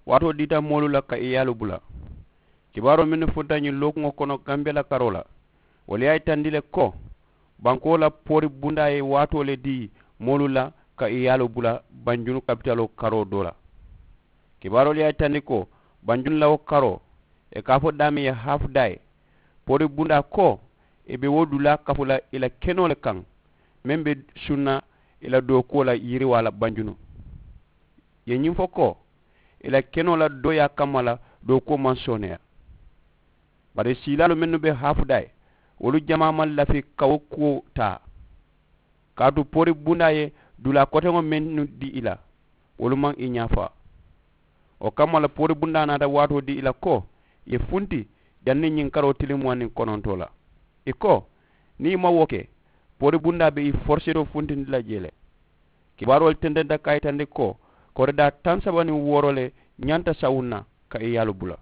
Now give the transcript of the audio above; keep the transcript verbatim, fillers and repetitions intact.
Waatoo diita moolu la ka i yaalu bula. Kibaaroo mennu futa ñiŋ lookuŋo kono gambiya la karoo la, wolu ye a yitandi le ko bankoo la poori bundaa ye waatoo le dii moolu la ka i yaalu bula banjunu kapitaloo karoo doo la. Kibaaroolu ye a yitandi ko banjunu la wo karoo, ì ka a fo daameŋ ye haafu daa ye poori bundaa ko ì be wo dulaa kafu la ì la kenoo le kaŋ meŋ be sunna ì la dookuwo la yiriwaa la banjunu. Ì ye ñiŋ fo ko ì la kenoo la dooyaa kamma la dookuwo maŋ sooneeyaa. Bari siilaalu mennu be haafu daa ye wolu jamaa maŋ lafi ka wo kuwo taa. Kaatu poori bundaa ye dulaa koteŋo mennu dii ì la wolu maŋ ì ñaa faa. Wo kamma la poori bundaa naata waatoo dii ì la ko ì ye funti janniŋ ñiŋ karoo tiliŋ muwaŋ niŋ konontoo la. Ì ko niŋ ì maŋ wo ke poori bundaa be ì foriseetoo funtindi la jee le. Kibaaroolu tententa ka a yitandi ko koridaa taŋ saba niŋ wooro le ñanta sawuŋ na ka ì yaalu bula.